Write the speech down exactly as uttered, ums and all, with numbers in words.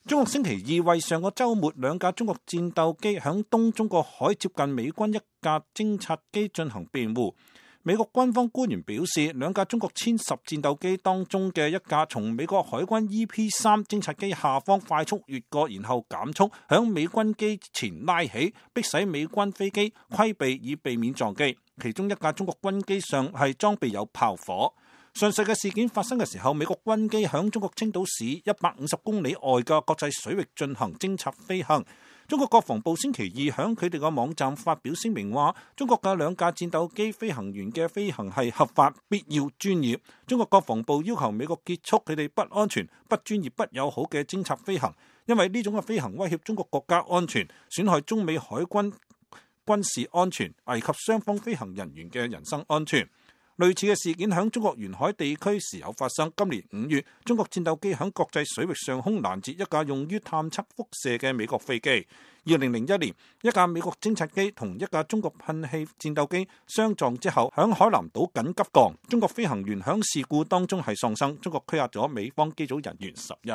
中國星期二為上個週末兩架中國戰鬥機響東中國海接近美軍一架偵察機進行辯護。美國軍方官員表示，兩架中國殲十戰鬥機當中嘅一架從美國海軍 E P 三偵察機下方快速越過，然後減速響美軍機前拉起，迫使美軍飛機規避以避免撞擊。其中一架中國軍機上係裝備有炮火。上述嘅事件發生嘅時候，美國軍機響中國青島市一百五十公里外嘅國際水域進行偵察飛行。中國國防部星期二響佢哋嘅網站發表聲明話，中國嘅兩架戰鬥機飛行員嘅飛行係合法、必要、專業。中國國防部要求美國結束佢哋不安全、不專業、不友好嘅偵察飛行，因為呢種嘅飛行威脅中國國家安全，損害中美海軍軍事安全，危及雙方飛行人員嘅人身安全。類似嘅事件響中國沿海地區時有發生。今年五月，中國戰鬥機響國際水域上空攔截一架用於探測輻射嘅美國飛機。二零零一年，一架美國偵察機同一架中國噴氣戰鬥機相撞之後，響海南島緊急降，中國飛行員響事故當中係喪生。中國拘押咗美方機組人員十日。